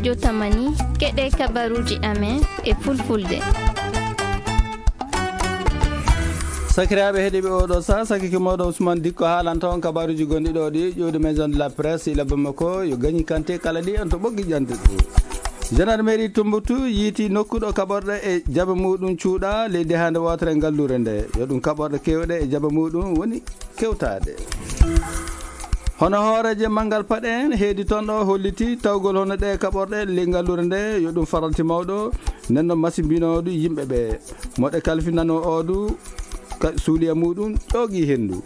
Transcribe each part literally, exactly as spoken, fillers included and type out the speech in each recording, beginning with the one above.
Jotamani, keɗe kabaruuji amen e fulfulde. Sakiraaɓe heɗiiɓe oɗo saa, sakike mooɗon Ousmane Dikko haalanta on kabaruuji gonɗi ɗo ɗi ƴuwde Maison de la Presse ila Bamako, yo gañi kante kala ɗi en to ɓoggi ƴante ɗi. Gendarmerie Tumbuktu yiiti nokku ɗo kaɓorɗe e jaɓe muɗum cuuɗa leydi hande wootere e ngallure nde. Yo ɗum kaɓorɗe kewɗe e jaɓe muɗum woni kewtaade. Hono hooreeje manngal paɗe en heedi toon ɗo holliti tawgol hono ɗe kaɓorɗe ley ngallure nde, yo ɗum faralti mawɗo, nden no masimbinoodu yimɓe ɓe. Moɗe kalfinano oodu ka suuliya muɗum ƴoogi henndu.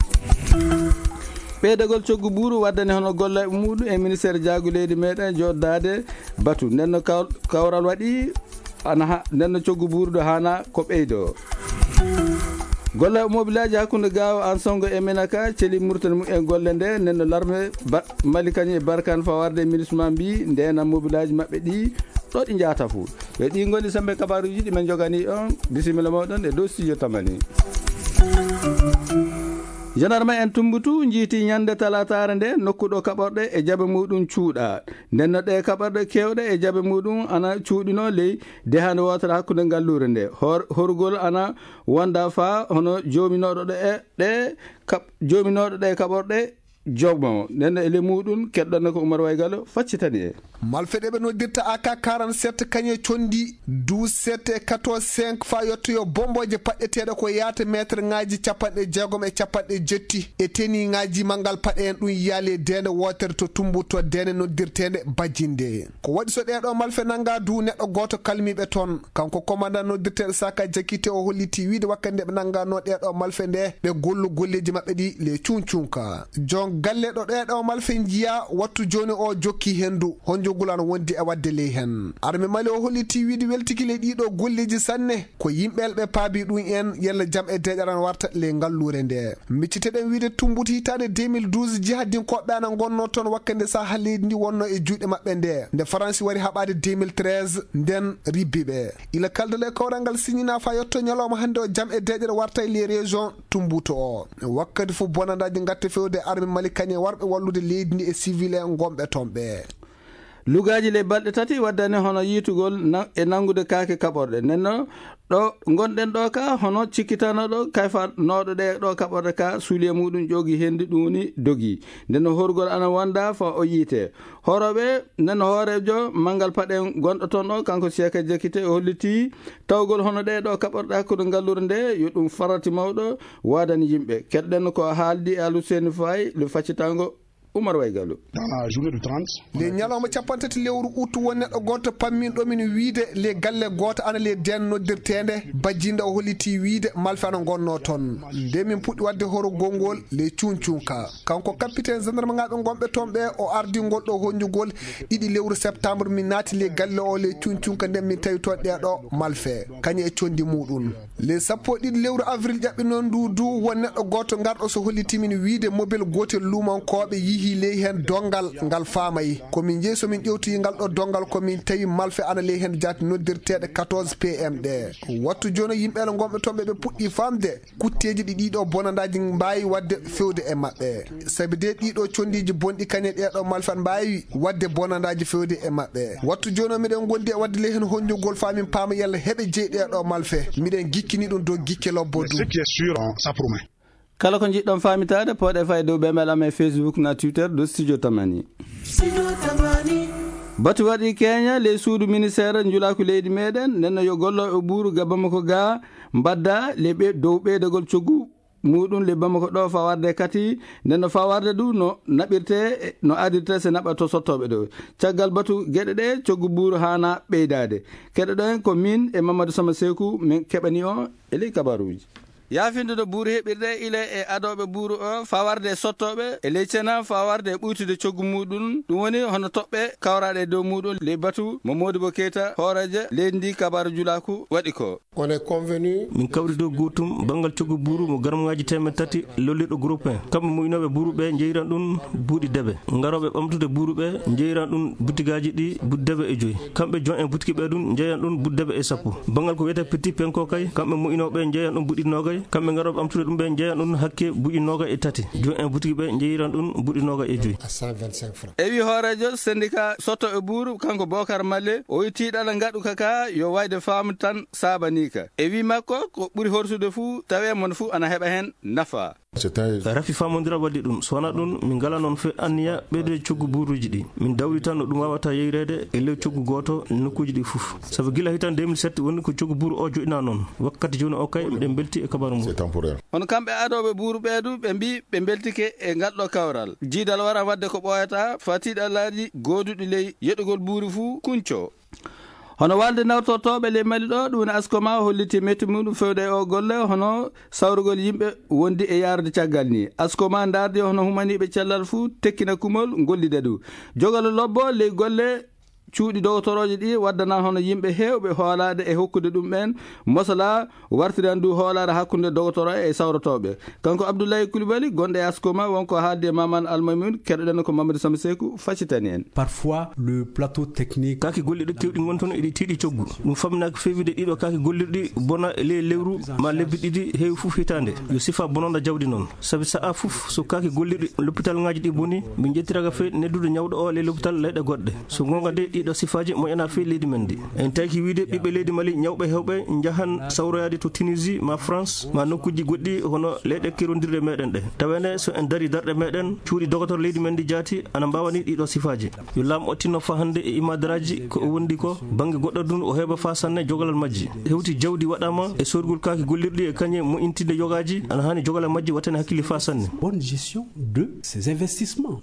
Ɓeydagol coggu buuru waddani hono golle muɗum e ministeer jaagu leydi meɗen jooɗdaade batu. Nden no kaw-, kawral waɗi ana ha, nden no coggu buuru ɗo haana ko ɓeydo. Golle mobilaaji hakkunde Gaawo Ansongo e Menaka celi Murtani mu en golle nde, nden no larme ba-, Mali kañum e Barkan fawarde e ministre ma mbi ndena mobilaaji maɓɓe ɗi ɗo ɗi njaata fu. Yo ɗi ngoni sembe kabaruuji ɗi men jogani on. Bisimilla moɗon e dow studio Tamani. Jandarma en Tumbutu njiiti ñande talataare nde nokku ɗo kaɓorɗe e jaɓe muɗum cuuɗa. Nden no ɗe kaɓorɗe kewɗe e jaɓe muɗum ana cuuɗino ley dehande wootere hakkunde ngallure nde. Hor-, horugol ana wonda fa hono joominooɗo ɗe, ɗe kaɓ-, joominooɗo ɗe kaɓorɗe jomo. Nden no e le muɗum keɗɗon ko Umar Waygalo faccitani e. Malfe ɗe ɓe noddirta A K quarante-sept kañe condi douze sept e quatorze cinq fa yottoyo bomboje paɗɗeteeɗe ko yaata meetre ŋaaji capanɗe jeegom e capanɗe jetti e teni ŋaaji manngal paɗe en ɗum yaali e deende wootere to Tumbutu to deende noddirteende Bajinde. Ko waɗi so ɗee ɗo malfe nannga du neɗɗo gooto kalmiiɓe toon. Kanko komandan noddirteeɗo Saka Jakite o holliti wiide wakkati nde ɓe nannganno ɗee ɗo malfe nde ɓe gollu golleeji maɓɓe ɗi le cuncunka. Jon galle ɗo ɗee ɗo malfe njiya wattu jooni o jokki henndu honjogol ana wondi e waɗde ley heen. Arme Mali o holliti wiide weltiki le ɗii ɗo golleeji sanne ko yimɓe ɓe paabi ɗum en yalla jam e deeƴaran warta le ngalluure nde. Micciteɗen wiide Tumbutu hitaande deux mille douze jihadinkooɓe ana ngonnoo toon wakkati nde saha leydi ndi wonnoo e juuɗe maɓɓe nde. Nde Faransi wari haɓaade deux mille treize nden ribbi ɓe. Ila kaldal e kawral ngal siñinaa faa yotto ñalawma hannde o jam e deeƴere warta e les régions Tumbutu o. Wakkati fof bonandaaji ngatta fewde arme Mali kañe warɓe wallude leydi ndi e civil en ngonɓe toon ɓe. Lugaaji le balɗe tati waddani hono yiitugol na-, e nanngude kaake kaɓorɗe. Nden no ɗo ngonɗen ɗo ka hono cikkitanooɗo kayfanooɗo ɗe ɗo kaɓorɗe ka suuliye muɗum ƴoogi hendu ɗum woni dogi. Nden no horgol ana wonda fa o yiite. Hoorooɓe, nden no hooreejo manngal paɗe gonɗo toon ɗo, kanko Siyaka Jakite, o holliti tawgol hono ɗee ɗo kaɓorɗe hakkunde ngalluure nde, yo ɗum farati mawɗo waadani yimɓe. Keɗɗen ko haaldi e Aluseni Faye, le faccitango Umar Waygalu. Dans la journée du trente, le ñalawma capanɗe tati lewru ut, won neɗɗo gooto pamminɗo min wiide le galle gooto ana le den noddirteende Bajinda, o holliti wiide malfe ana ngonnoo toon. Nde min puɗɗi waɗde horo gonngol le cuncunka. Kanko capitaine gendarme ŋaaɓe ngonɓe toon ɓe, o ardi ngol ɗo honjugol ɗiɗi lewru septembre, min naati le galle o le cuncunka, nden min tawi toon ɗee ɗo malfe, kañe e condi muɗum. Le sappo e ɗiɗi lewru avril ƴaɓɓi noon ndu du, won neɗɗo gooto ngarɗo so holliti min wiide mobel gootel luumankooɓe yihi ley heen donngal ngal faamay. Ko min njehi so min ƴewtoyi ngal ɗo donngal, ko min tawi malfe ana ley heen jaati noddirteeɗe quatorze P M ɗe. Wattu jooni yimɓe ala ngonɓe toon ɓe, ɓe puɗɗi faamde kutteeji ɗi ɗiɗo bonandaaji mbaawi waɗde fewde e maɓɓe. Sabi de ɗiɗo condiiji bonɗi kañe ɗee ɗo malfe ana mbaawi waɗde bonandaaji fewde e maɓɓe. Wattu jooni o miɗen ngondi e waɗde ley heen honjugol faa min paama yalla heɓe jeyi ɗee ɗo malfe. Miɗen gikkini ɗum dow gikke lobbo. Mais du ce qui est sûr, ça promet. Kala ko njiɗɗon faamitaade, pooɗe faa e dow ɓe mbel am e Facebook na Twitter dow Studio Tamani. Batu waɗi Keña, ley suudu ministeer njulaaku leydi meɗen, nden no yo gollooɓe buuru ga Bamako ga mbadda le ɓe dow ɓeydagol coggu muɗum le Bamako ɗo faa warde kati, nden no faa warde du no naɓirte, no adirte se naɓa to sottooɓe ɗo. Caggal batu geɗe ɗe, coggu buuru haana ɓeydaade. Keɗoɗen ko min e Mamadou Sama Seeku min keɓani o e ley kabaruuji. Yaafinde no buuru heɓirde ila e adooɓe buuru o, faa warde e sottooɓe e ley cena, faa warde e ɓuytude coggu muɗum. Ɗum woni hono toɓɓe kawraaɗe e dow muɗum ley batu mo Modibo Keita, hooreejo leydi ndi, kabaaru njulaaku waɗi ko. On est convenu. Min kawri dow gootum, banngal coggu buuru mo garamŋaaji teemeɗɗe tati lollirɗo groupe un. Kamɓe moƴƴinooɓe buuru ɓe njeyiran ɗum buuɗi debe. Ngarooɓe ɓamtude buuru ɓe njeyiran ɗum butigaaji ɗi buuɗi debe e joyi. Kamɓe jon en butiki ɓe ɗum njeyan ɗum buuɗi debe e sappo. Banngal ko wiyetee petit pain ko kay, kamɓe moƴƴinooɓe njeyan ɗum buuɗi noogay. Kamɓe ngarooɓe ɓamtude ɗum ɓe njeyan ɗum hakke buuɗi noogaɓe e tati. Jooni en butiki ɓe njeyiran ɗum buuɗi noogaɓe e joyi. À cent vingt-cinq francs. E wi hooreejo syndicat sottooɓe buuru, kanko Bokar Malle, o wi tiiɗalla ngaɗu ka ka yo wayde faamu tan saabanii ka. E wi makko, ko ɓuri horsude fuu, tawee mon fuu ana heɓa heen nafa. C'est un Rafi faamondiral waɗi ɗum. So wonaa ɗum, min ngalaa noon fe anniya ɓeydude coggu buuruuji ɗi. Min dawri tan no ɗum waawata yeyreede e ley coggu gooto nokkuuji ɗi fof. Sabu gila hitan deux mille sept woni ko coggu buuru o joɗɗinaa noon. Wakkati jooni o kay, miɗen mbelti e kabaaru ngu. C'est temporaire. Hono kamɓe adooɓe buuru ɓee du, ɓe mbii ɓe mbeltike e ngal ɗo kawral. Jiidal wara waɗde ko ɓooyata, faa tiiɗallaaji gooduɗi ley yeɗugol buuru fuu kunco. Hono walde nawtortooɓe ley Mali ɗo, ɗum woni Askoma, holliti metti muɗum fewde e o golle, hono sawrugol yimɓe wondi e yaarude caggal ni. Askoma ndaardi hono humaniiɓe cellal fuu tekkina kumol, gollida du. Jogalo lobbo ley golle cuuɗi dogotorooje ɗi waddana hono yimɓe heewɓe hoolaade e hokkude ɗum ɓeen mosala, wartiran du hoolaare hakkunde dogotoro e sawrotooɓe. Kanko Abdoulaye Coulibaly, gonɗo e Askoma, wonko haaldi e Maman Almaymun, keɗoɗen ko Mamadou Samba Seku, faccitani en. Parfois, le plateau technique. Kaaki golliɗi kewɗi ngon toon, iɗi tiiɗi coggu. Ɗum famminaaki feewde ɗiɗo kaaki gollirɗi bona e ley lewru ma lebbi ɗiɗi heewi fof hitaande. Yo sifa bononda jawdi noon. Sabi sa'a fof, so kaaki gollirɗi loppital ŋaaji ɗi boni, min njettiraka fee neddude ñawɗo o ley loppital leyɗe goɗɗe. So goonga de, ɗiɗo sifaaji moƴƴana fee leydi men ndi. En tawki wiide ɓiɓɓe leydi Mali ñawɓe heewɓe njahan sawroyaade to Tunisie, ma France, ma nokkuuji goɗɗi hono leyɗe kerondirɗe meɗen ɗe. Tawene so en dari darɗe meɗen, cuuɗi dogotor leydi men ndi jaati ana mbaawani ɗiɗo sifaaji. Yo laam o tinno faa hannde e imadaraaji ko o wondi ko, bannge goɗɗo dun o heɓa faa sanne jogalal majji. Hewti jawdi waɗaama e soorgol kaaki gollirɗi e kañe moƴƴintinde yogaaji, ana haani jogalal majji wattane hakkille faa sanne. Bonne gestion de ces investissements.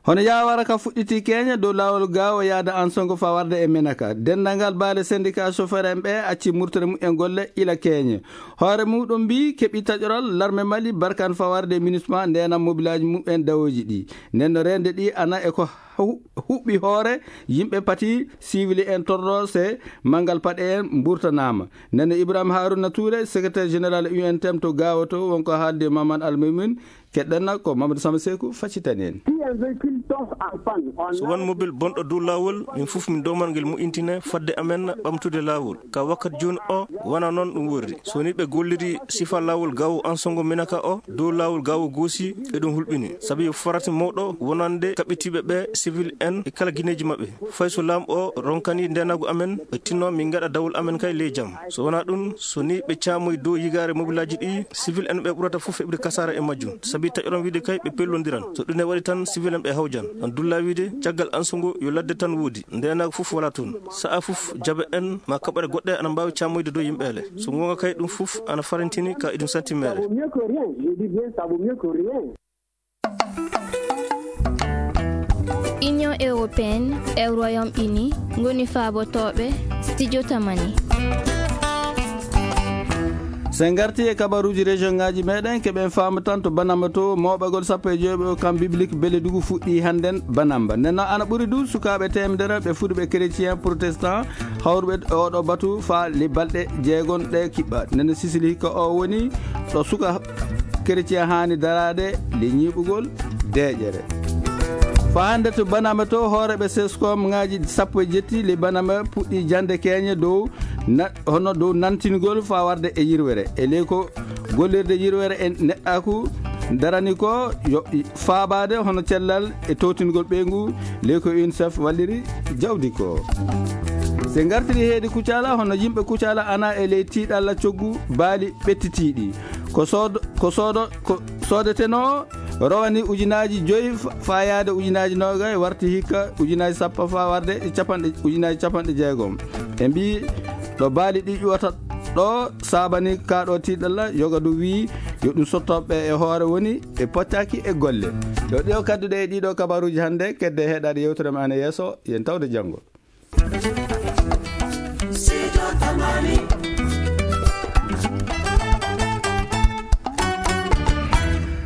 Hono yaawara ka fuɗɗiti keeña dow laawol gaawo yaada Ansongo faa warde e Menaka. Denndangal baale syndicat chauffeur en ɓe acci murtere mumen golle ila keeñe. Hoore muɗum mbii keɓi taƴoral larme Mali barkan faa warde e MINUSMA ndeenam mobilaaji mumen dawooji ɗi. Nden no reende ɗi ana e ko hu-, huɓɓi hoore yimɓe pati siwili en torro se manngal paɗe en mburtanaama. Nden no Ibrahima Haruna Touré, secrétaire général U N T M to gaawo to, wonko haaldi e Maman Almaymun, keɗɗen ko Mamadou Samba Seku faccitani en. Si un véhicule tombe en panne, on So won mobil bonɗo dow laawol, min fof min dooman ngel moƴƴintine fadde amen ɓamtude laawol. Ka wakkati jooni o, wona noon ɗum worri. So ni ɓe golliri sifa laawol gaawo Ansongo Menaka o, dow laawol gaawo Goosi, eɗum hulɓini. Sabi yo farata mawɗo wonande kaɓɓitiiɓe ɓe civil en e kala gineeji maɓɓe. Fay so laam o ronkani ndeenaagu amen, ɓe tinno min ngaɗa dawol amen kay ley jam. So wonaa ɗum, so ni ɓe caamoyi dow yigaare mobilaaji ɗi, civil en ɓe ɓurata fof heɓde kasaara e majjum. Sabi taƴoron wiide kay ɓe pellondiran. So ɗum ne waɗi tan, civil en ɓe hawjan. On dulla wiide, caggal Ansongo yo ladde tan woodi. Ndeenaagu fof wala toon. Sa'a fof, jaɓe en ma kaɓɓoore goɗɗe ana mbaawi caamoyde dow yimɓe ele. So goonga kay ɗum fof ana farantini ka eɗum santi meere. Ça vaut mieux que rien. Je dis bien, ça vaut mieux que rien. Union européenne e Royaume-Uni ngoni faabotooɓe Studio Tamani. So en ngarti e kabaruuji région ngaaji meɗen, keɓen faamu tan to Banamba to, mooɓagol sappo e joyɓe o camp biblique Beledugu fuɗɗi hannden Banamba. Nden noon ana ɓuri du sukaaɓe teemedere ɓe fuɗuɓe chrétien protestant hawruɓe e oɗo batu faa le balɗe jeegon ɗe kiɓɓa. Nden no Sisili hikka o woni ɗo suka chrétien haani daraade le ñiiɓugol deeƴere. Faa hannde to Banamba to, hooreeɓe seskom ngaaji sappo e jetti le Banamba puɗɗi jande keeñe dow na-, hono dow nantingol faa warde e yirwere. E ley ko gollirde yirwere e neɗɗaaku darani ko yo faabaade hono cellal e towtingol ɓeyngu, ley ko UNICEF walliri jawdi ko. Se ngartiri heedi Kucala, hono yimɓe Kucala ana e ley tiiɗalla coggu baali ɓettitiiɗi. Ko soodo, ko soodo, ko soodetenoo rowani ujunaaji joyi fa-, faa yaade ujunaaji noogay, warti hikka ujunaaji sappo faa warde e capanɗe, ujunaaji capanɗe jeegom. Ɓe mbii ɗo baali ɗi ƴuwata ɗo saabani kaa ɗo tiiɗalla, yoga du wii yo ɗum sotto ɓe e hoore woni ɓe pottaaki e golle. Yo ɗiɗo kadduɗe e ɗiɗo kabaruuji hannde, kedde heɗaade yewtere men ana yeeso, yen tawde janngo.